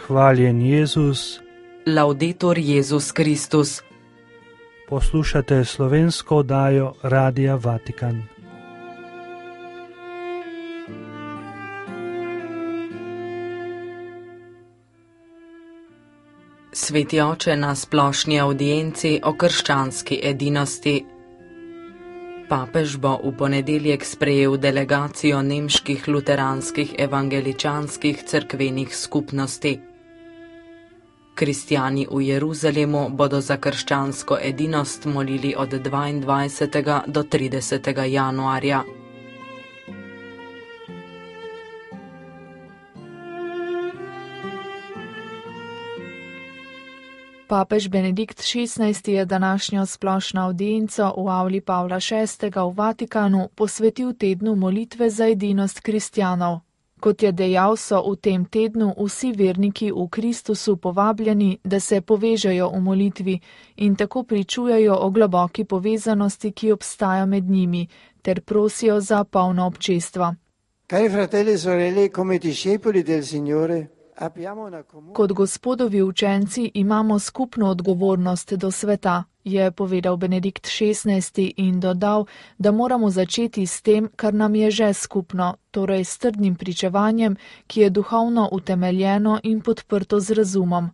Hvaljen Jezus. Laudetur Jezus Kristus. Poslušate slovensko oddajo Radia Vatikan. Sveti oče na splošni audienci o krščanski edinosti. Papež bo v ponedeljek sprejel delegacijo nemških luteranskih evangeličanskih cerkvenih skupnosti. Kristjani v Jeruzalemu bodo za krščansko edinost molili od 22. do 30. januarja. Papež Benedikt XVI je današnjo splošno audienco v avli Pavla VI. V Vatikanu posvetil tednu molitve za edinost kristjanov. Kot je dejal, so v tem tednu vsi verniki v Kristusu povabljeni, da se povežejo v molitvi in tako pričujejo o globoki povezanosti, ki obstaja med njimi, ter prosijo za polno občestvo. Cari fratelli e sorelle, come discepoli del Signore, kot Gospodovi učenci imamo skupno odgovornost do sveta, je povedal Benedikt XVI in dodal, da moramo začeti s tem, kar nam je že skupno, torej s trdnim pričevanjem, ki je duhovno utemeljeno in podprto z razumom.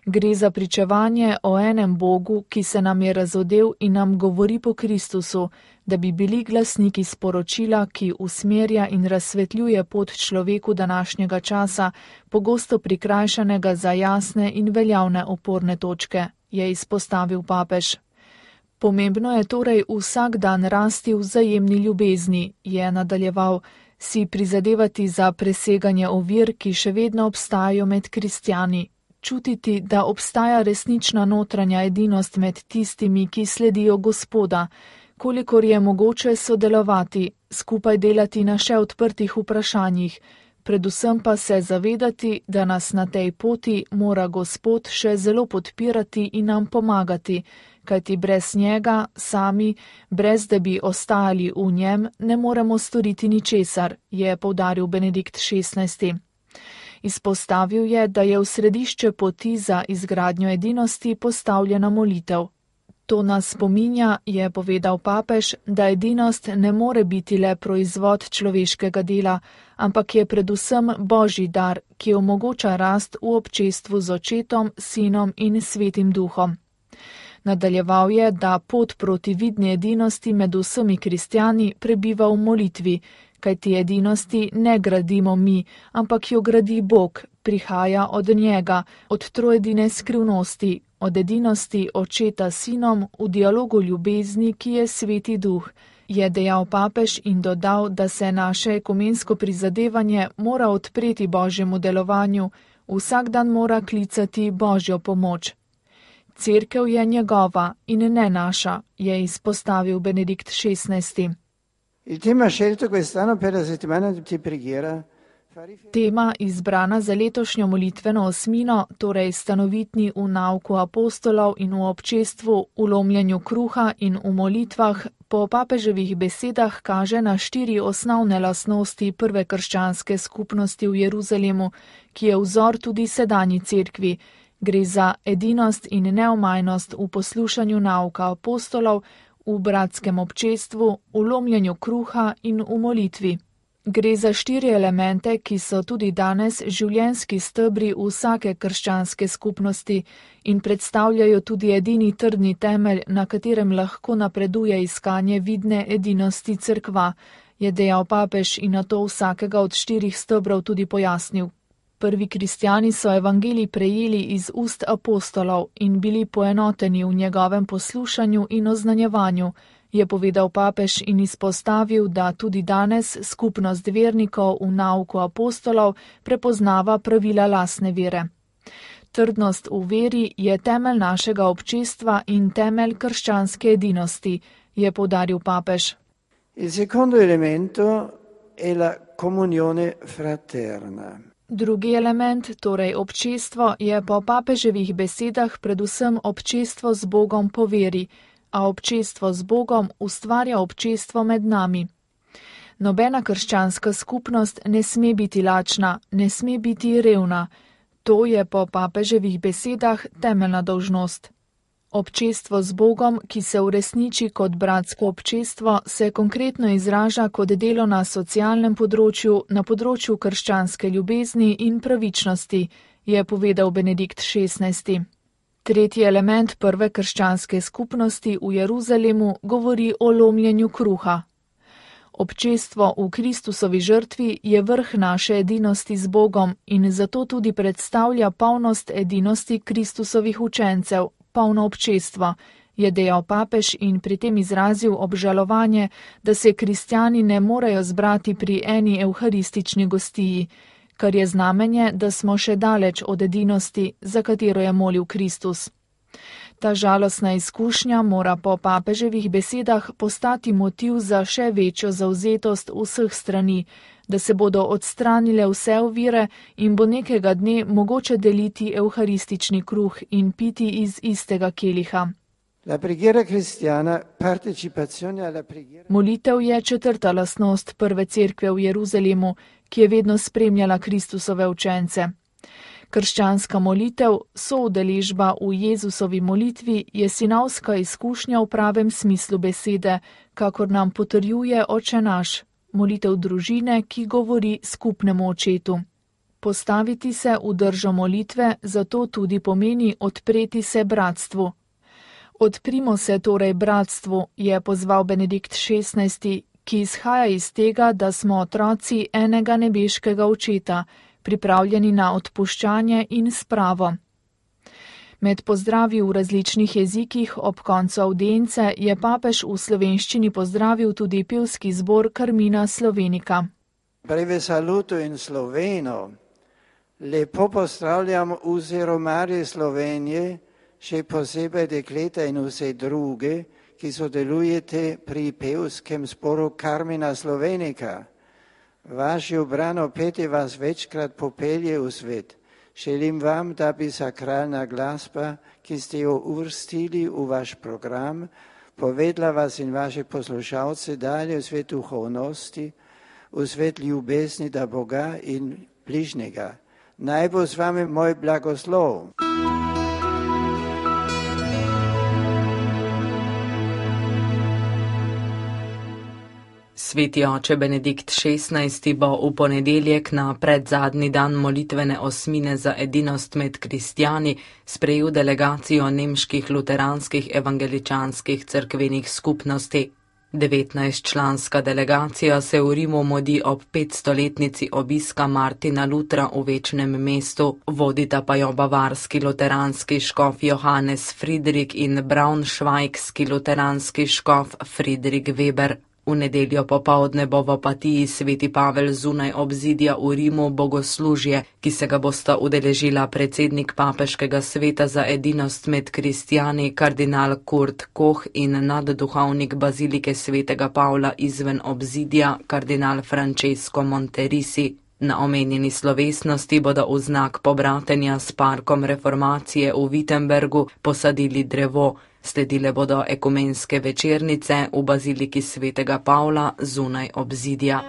Gre za pričevanje o enem Bogu, ki se nam je razodel in nam govori po Kristusu, da bi bili glasniki sporočila, ki usmerja in razsvetljuje pot človeku današnjega časa, pogosto prikrajšanega za jasne in veljavne oporne točke, je izpostavil papež. Pomembno je torej vsak dan rasti v vzajemni ljubezni, je nadaljeval, si prizadevati za preseganje ovir, ki še vedno obstajajo med kristjani. Čutiti, da obstaja resnična notranja edinost med tistimi, ki sledijo Gospoda, kolikor je mogoče sodelovati, skupaj delati na še odprtih vprašanjih, predvsem pa se zavedati, da nas na tej poti mora Gospod še zelo podpirati in nam pomagati, kajti brez njega, sami, brez da bi ostajali v njem, ne moremo storiti ničesar, je poudaril Benedikt XVI. Izpostavil je, da je v središče poti za izgradnjo edinosti postavljena molitev. To nas spominja, je povedal papež, da edinost ne more biti le proizvod človeškega dela, ampak je predvsem Božji dar, ki omogoča rast v občestvu z Očetom, Sinom in Svetim Duhom. Nadaljeval je, da pot proti vidni edinosti med vsemi kristjani prebiva v molitvi, kajti edinosti ne gradimo mi, ampak jo gradi Bog, prihaja od njega, od trojedine skrivnosti, od edinosti Očeta s Sinom v dialogu ljubezni, ki je Sveti Duh, je dejal papež in dodal, da se naše ekumensko prizadevanje mora odpreti Božjemu delovanju, vsak dan mora klicati Božjo pomoč. Cerkev je njegova in ne naša, je izpostavil Benedikt XVI. Il tema scelto quest'anno per la settimana di preghiera. Tema izbrana za letošnjo molitveno osmino, torej stanovitni v nauku apostolov in v občestvu, v lomljenju kruha in v molitvah, po papeževih besedah kaže na 4 osnovne lastnosti prve krščanske skupnosti v Jeruzalemu, ki je vzor tudi sedanji cerkvi. Gre za edinost in neomajnost v poslušanju nauka apostolov, v bratskem občestvu, v lomljenju kruha in v molitvi. Gre za 4 elemente, ki so tudi danes življenjski stebri vsake krščanske skupnosti in predstavljajo tudi edini trdni temelj, na katerem lahko napreduje iskanje vidne edinosti cerkva, je dejal papež in nato vsakega od 4 stebrov tudi pojasnil. Prvi kristjani so evangelij prejeli iz ust apostolov in bili poenoteni v njegovem poslušanju in oznanjevanju, je povedal papež in izpostavil, da tudi danes skupnost vernikov v nauku apostolov prepoznava pravila lastne vere. Trdnost v veri je temelj našega občestva in temelj krščanske edinosti, je poudaril papež. Il secondo elemento è la comunione fraterna. Drugi element, torej občestvo, je po papeževih besedah predvsem občestvo z Bogom po veri, a občestvo z Bogom ustvarja občestvo med nami. Nobena krščanska skupnost ne sme biti lačna, ne sme biti revna. To je po papeževih besedah temeljna dolžnost. Občestvo z Bogom, ki se uresniči kot bratsko občestvo, se konkretno izraža kot delo na socialnem področju, na področju krščanske ljubezni in pravičnosti, je povedal Benedikt XVI. Tretji element prve krščanske skupnosti v Jeruzalemu govori o lomljenju kruha. Občestvo v Kristusovi žrtvi je vrh naše edinosti z Bogom in zato tudi predstavlja polnost edinosti Kristusovih učencev, polno občestvo, je dejal papež in pri tem izrazil obžalovanje, da se kristjani ne morejo zbrati pri eni evharistični gostiji, kar je znamenje, da smo še daleč od edinosti, za katero je molil Kristus. Ta žalostna izkušnja mora po papeževih besedah postati motiv za še večjo zavzetost vseh strani, da se bodo odstranile vse ovire in bo nekega dne mogoče deliti evharistični kruh in piti iz istega keliha. Molitev je četrta lastnost prve cerkve v Jeruzalemu, ki je vedno spremljala Kristusove učence. Krščanska molitev, soudeležba v Jezusovi molitvi, je sinovska izkušnja v pravem smislu besede, kakor nam potrjuje Oče naš, molitev družine, ki govori skupnemu očetu. Postaviti se v držo molitve zato tudi pomeni odpreti se bratstvu. Odprimo se torej bratstvu, je pozval Benedikt XVI, ki izhaja iz tega, da smo otroci enega nebeškega očeta, pripravljeni na odpuščanje in spravo. Med pozdravi v različnih jezikih ob koncu avdience je papež v slovenščini pozdravil tudi pevski zbor Carmina Slovenica. Breve saluto in sloveno. Lepo pozdravljam vse romarje Slovenije, še posebej dekleta in vse druge, ki sodelujete pri pevskem zboru Carmina Slovenica. Vaše ubrano petje vas večkrat popelje v svet. Želim vam, da bi sakralna glasba, ki ste jo uvrstili v vaš program, povedla vas in vaše poslušalce dalje v svet duhovnosti, v svet ljubezni do Boga in bližnjega. Naj bo z vami moj blagoslov. Sveti oče Benedikt XVI bo v ponedeljek na predzadnji dan molitvene osmine za edinost med kristjani sprejel delegacijo nemških luteranskih evangeličanskih cerkvenih skupnosti. 19-članska delegacija se v Rimu mudi ob 500-letnici obiska Martina Lutra v Večnem mestu, vodita pa jo bavarski luteranski škof Johannes Friedrich in braunschweigski luteranski škof Friedrich Weber. V nedeljo popoldne bo v Opatiji sveti Pavel zunaj obzidja v Rimu bogoslužje, ki se ga bosta udeležila predsednik papeškega sveta za edinost med kristjani kardinal Kurt Koch in nadduhovnik bazilike svetega Pavla izven obzidja kardinal Francesco Monterisi. Na omenjeni slovesnosti bodo v znak pobratenja s parkom reformacije v Wittenbergu posadili drevo. Sledile bodo ekumenske večernice v baziliki svetega Pavla zunaj obzidja.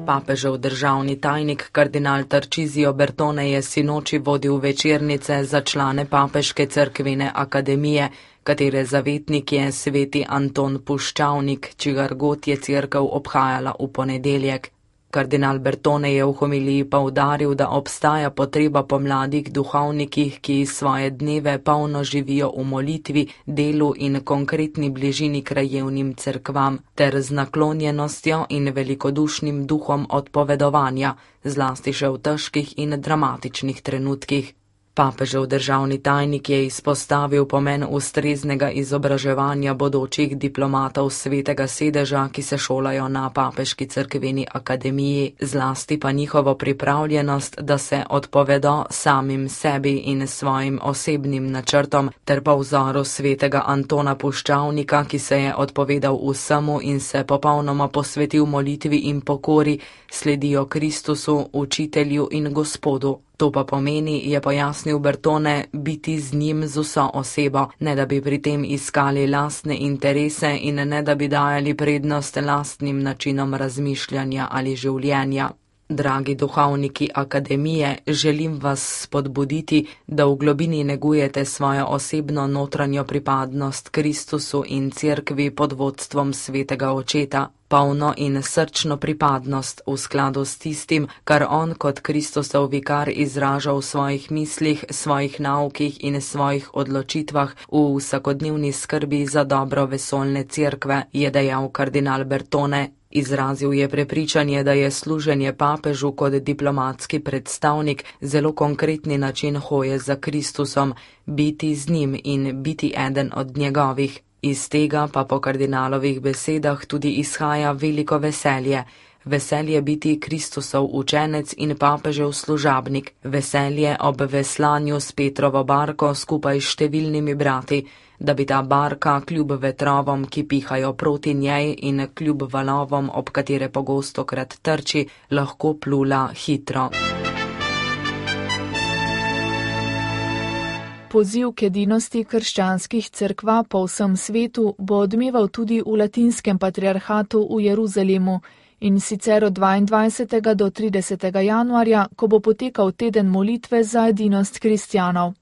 Papežev državni tajnik kardinal Tarcisio Bertone je sinoči vodil večernice za člane papeške cerkvene akademije, katere zavetnik je sveti Anton Puščavnik, čigar god je cerkev obhajala v ponedeljek. Kardinal Bertone je v homiliji poudaril, da obstaja potreba po mladih duhovnikih, ki svoje dneve polno živijo v molitvi, delu in konkretni bližini krajevnim cerkvam, ter z naklonjenostjo in velikodušnim duhom odpovedovanja, zlasti še v težkih in dramatičnih trenutkih. Papežev državni tajnik je izpostavil pomen ustreznega izobraževanja bodočih diplomatov svetega sedeža, ki se šolajo na papeški cerkveni akademiji, zlasti pa njihovo pripravljenost, da se odpovedo samim sebi in svojim osebnim načrtom, ter po vzoru svetega Antona Puščavnika, ki se je odpovedal vsemu in se popolnoma posvetil molitvi in pokori, sledijo Kristusu, učitelju in Gospodu. To pa pomeni, je pojasnil Bertone, biti z njim z vso osebo, ne da bi pri tem iskali lastne interese in ne da bi dajali prednost lastnim načinom razmišljanja ali življenja. Dragi duhovniki akademije, želim vas spodbuditi, da v globini negujete svojo osebno notranjo pripadnost Kristusu in Cerkvi pod vodstvom Svetega Očeta, polno in srčno pripadnost v skladu s tistim, kar on kot Kristusov vikar izraža v svojih mislih, svojih naukih in svojih odločitvah v vsakodnevni skrbi za dobro vesoljne Cerkve, je dejal kardinal Bertone. Izrazil je prepričanje, da je služenje papežu kot diplomatski predstavnik zelo konkretni način hoje za Kristusom, biti z njim in biti eden od njegovih. Iz tega pa po kardinalovih besedah tudi izhaja veliko veselje. Veselje biti Kristusov učenec in papežev služabnik, veselje ob veslanju s Petrovo barko skupaj s številnimi brati, da bi ta barka kljub vetrovom, ki pihajo proti njej in kljub valovom, ob katere pogostokrat trči, lahko plula hitro. Poziv k edinosti krščanskih cerkva po vsem svetu bo odmeval tudi v latinskem patriarhatu v Jeruzalemu, in sicer od 22. do 30. januarja, ko bo potekal teden molitve za edinost kristjanov.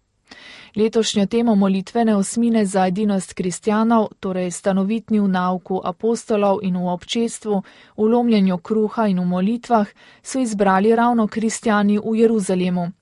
Letošnjo temo molitvene osmine za edinost kristjanov, torej stanovitni v nauku apostolov in v občestvu, v lomljenju kruha in v molitvah, so izbrali ravno kristjani v Jeruzalemu.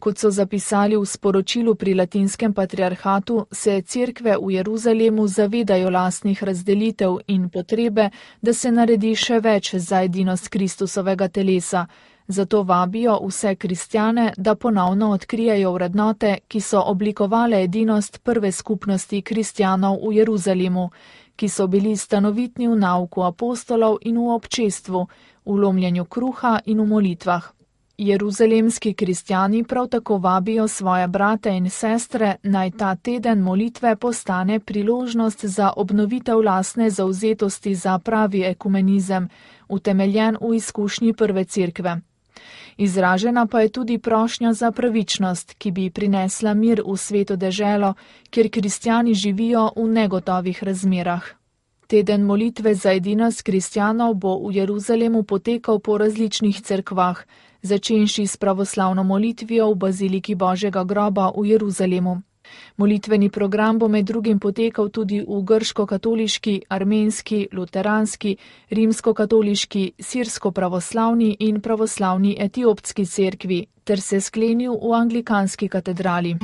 Kot so zapisali v sporočilu pri latinskem patriarhatu, se cerkve v Jeruzalemu zavedajo lastnih razdelitev in potrebe, da se naredi še več za edinost Kristusovega telesa. Zato vabijo vse kristjane, da ponovno odkrijejo vrednote, ki so oblikovale edinost prve skupnosti kristjanov v Jeruzalemu, ki so bili stanovitni v nauku apostolov in v občestvu, v lomljenju kruha in v molitvah. Jeruzalemski kristjani prav tako vabijo svoje brate in sestre, naj ta teden molitve postane priložnost za obnovitev lastne zavzetosti za pravi ekumenizem, utemeljen v izkušnji prve cerkve. Izražena pa je tudi prošnja za pravičnost, ki bi prinesla mir v sveto deželo, kjer kristjani živijo v negotovih razmerah. Teden molitve za edinost kristjanov bo v Jeruzalemu potekal po različnih cerkvah, začenši s pravoslavno molitvijo v Baziliki Božjega groba v Jeruzalemu. Molitveni program bo med drugim potekal tudi v grško-katoliški, armenski, luteranski, rimsko-katoliški, sirsko-pravoslavni in pravoslavni etiopski cerkvi, ter se sklenil v anglikanski katedrali.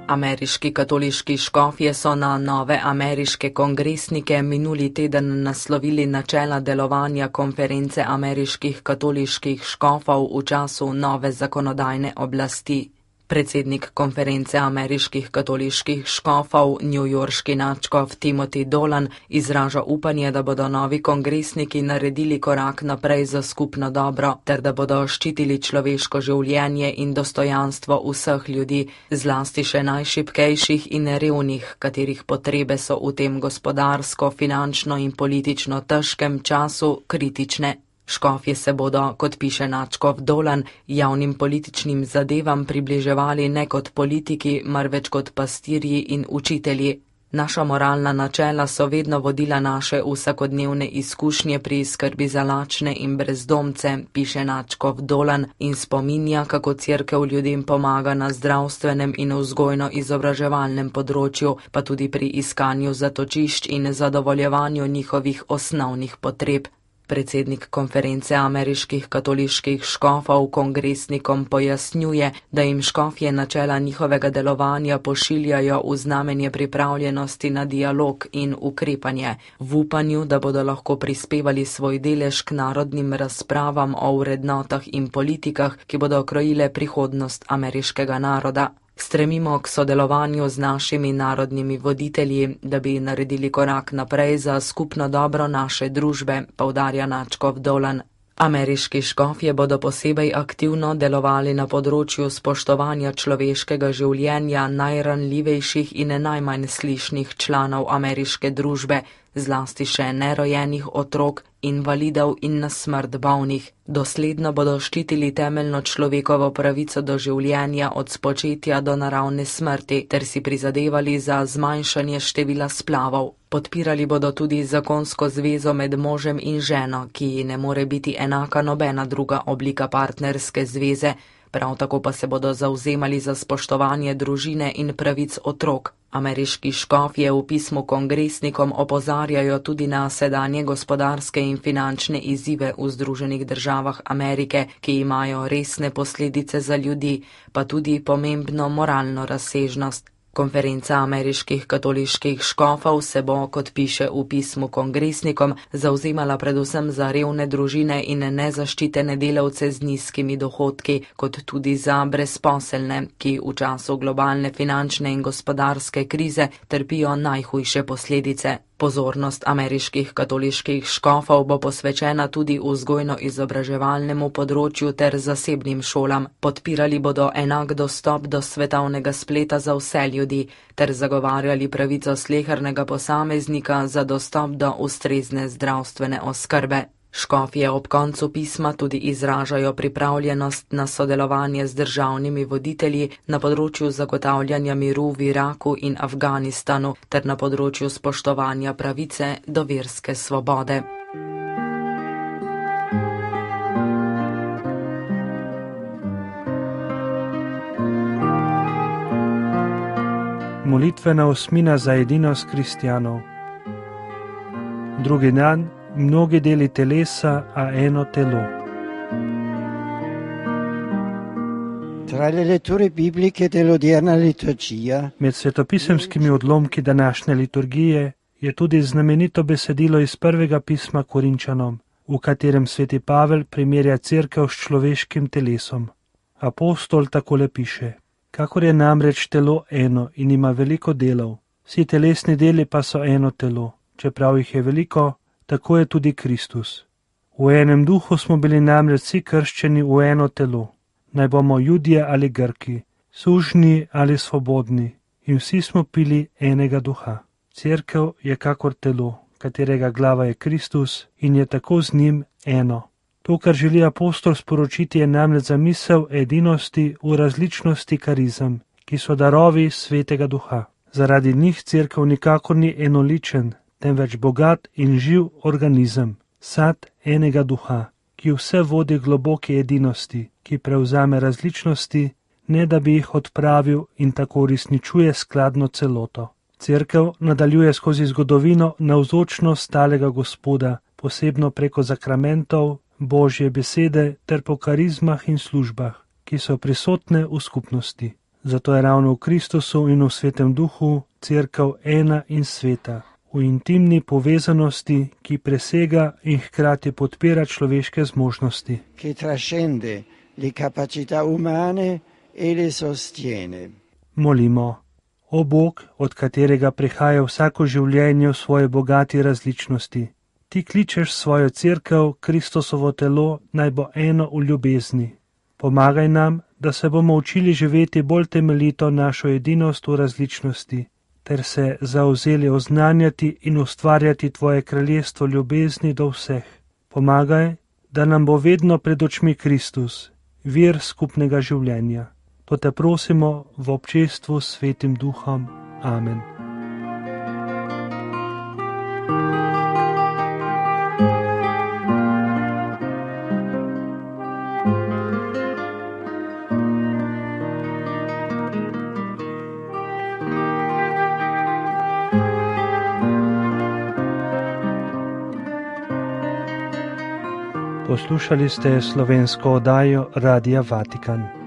Ameriški katoliški škofje so na nove ameriške kongresnike minuli teden naslovili načela delovanja konference ameriških katoliških škofov v času nove zakonodajne oblasti. Predsednik konference ameriških katoliških škofov, newyorški nadškof Timothy Dolan, izraža upanje, da bodo novi kongresniki naredili korak naprej za skupno dobro, ter da bodo ščitili človeško življenje in dostojanstvo vseh ljudi, zlasti še najšibkejših in revnih, katerih potrebe so v tem gospodarsko, finančno in politično težkem času kritične. Škofje se bodo, kot piše nadškof Dolan, javnim političnim zadevam približevali ne kot politiki, marveč kot pastirji in učitelji. Naša moralna načela so vedno vodila naše vsakodnevne izkušnje pri skrbi za lačne in brezdomce, piše nadškof Dolan in spominja, kako cerkev ljudem pomaga na zdravstvenem in vzgojno-izobraževalnem področju, pa tudi pri iskanju zatočišč in zadovoljevanju njihovih osnovnih potreb. Predsednik konference ameriških katoliških škofov kongresnikom pojasnjuje, da jim škofje načela njihovega delovanja pošiljajo v znamenje pripravljenosti na dialog in ukrepanje, v upanju, da bodo lahko prispevali svoj delež k narodnim razpravam o vrednotah in politikah, ki bodo krojile prihodnost ameriškega naroda. Stremimo k sodelovanju z našimi narodnimi voditelji, da bi naredili korak naprej za skupno dobro naše družbe, poudarja nadškof Dolan. Ameriški škofje bodo posebej aktivno delovali na področju spoštovanja človeškega življenja najranljivejših in najmanj slišnih članov ameriške družbe, zlasti še nerojenih otrok, invalidov in na smrt bolnih. Dosledno bodo ščitili temeljno človekovo pravico do življenja od spočetja do naravne smrti ter si prizadevali za zmanjšanje števila splavov. Podpirali bodo tudi zakonsko zvezo med možem in ženo, ki ji ne more biti enaka nobena druga oblika partnerske zveze, prav tako pa se bodo zavzemali za spoštovanje družine in pravic otrok. Ameriški škofje v pismu kongresnikom opozarjajo tudi na sedanje gospodarske in finančne izzive v Združenih državah Amerike, ki imajo resne posledice za ljudi, pa tudi pomembno moralno razsežnost. Konferenca ameriških katoliških škofov se bo, kot piše v pismu kongresnikom, zavzemala predvsem za revne družine in nezaščitene delavce z nizkimi dohodki, kot tudi za brezposelne, ki v času globalne finančne in gospodarske krize trpijo najhujše posledice. Pozornost ameriških katoliških škofov bo posvečena tudi vzgojno-izobraževalnemu področju ter zasebnim šolam. Podpirali bodo enak dostop do svetovnega spleta za vse ljudi ter zagovarjali pravico slehernega posameznika za dostop do ustrezne zdravstvene oskrbe. Škofje ob koncu pisma tudi izražajo pripravljenost na sodelovanje z državnimi voditelji na področju zagotavljanja miru v Iraku in Afganistanu ter na področju spoštovanja pravice do verske svobode. Molitvena osmina za edinost kristjanov. Drugi dan. Mnogi deli telesa, a eno telo. Tra le letture bibliche dell'odierna liturgia, Med svetopisemskimi odlomki današnje liturgije je tudi znamenito besedilo iz prvega pisma Korinčanom, v katerem sveti Pavel primerja cerkev s človeškim telesom. Apostol takole piše: kakor je namreč telo eno in ima veliko delov, vsi telesni deli pa so eno telo, čeprav jih je veliko, tako je tudi Kristus. V enem duhu smo bili namreč vsi krščeni v eno telo, naj bomo Judje ali Grki, sužnji ali svobodni, in vsi smo pili enega duha. Cerkev je kakor telo, katerega glava je Kristus in je tako z njim eno. To, kar želi apostol sporočiti, je namreč zamisel edinosti v različnosti karizem, ki so darovi svetega duha. Zaradi njih cerkev nikakor ni enoličen, temveč bogat in živ organizem, sad enega duha, ki vse vodi globoki edinosti, ki prevzame različnosti, ne da bi jih odpravil in tako uresničuje skladno celoto. Cerkev nadaljuje skozi zgodovino navzočnost stalega Gospoda, posebno preko zakramentov, Božje besede ter po karizmah in službah, ki so prisotne v skupnosti. Zato je ravno v Kristusu in v Svetem Duhu cerkev ena in sveta, v intimni povezanosti, ki presega in hkrati podpira človeške zmožnosti. che trascende le capacità umane e le sostiene. Molimo. O Bog, od katerega prihaja vsako življenje v svoji bogati različnosti, ti kličeš svojo cerkev, Kristusovo telo, naj bo eno v ljubezni. Pomagaj nam, da se bomo učili živeti bolj temeljito našo edinost v različnosti, ter se zavzeli oznanjati in ustvarjati tvoje kraljestvo ljubezni do vseh. Pomagaj, da nam bo vedno pred očmi Kristus, vir skupnega življenja. To te prosimo v občestvu s Svetim Duhom. Amen. Poslušali ste slovensko oddajo Radia Vatikan.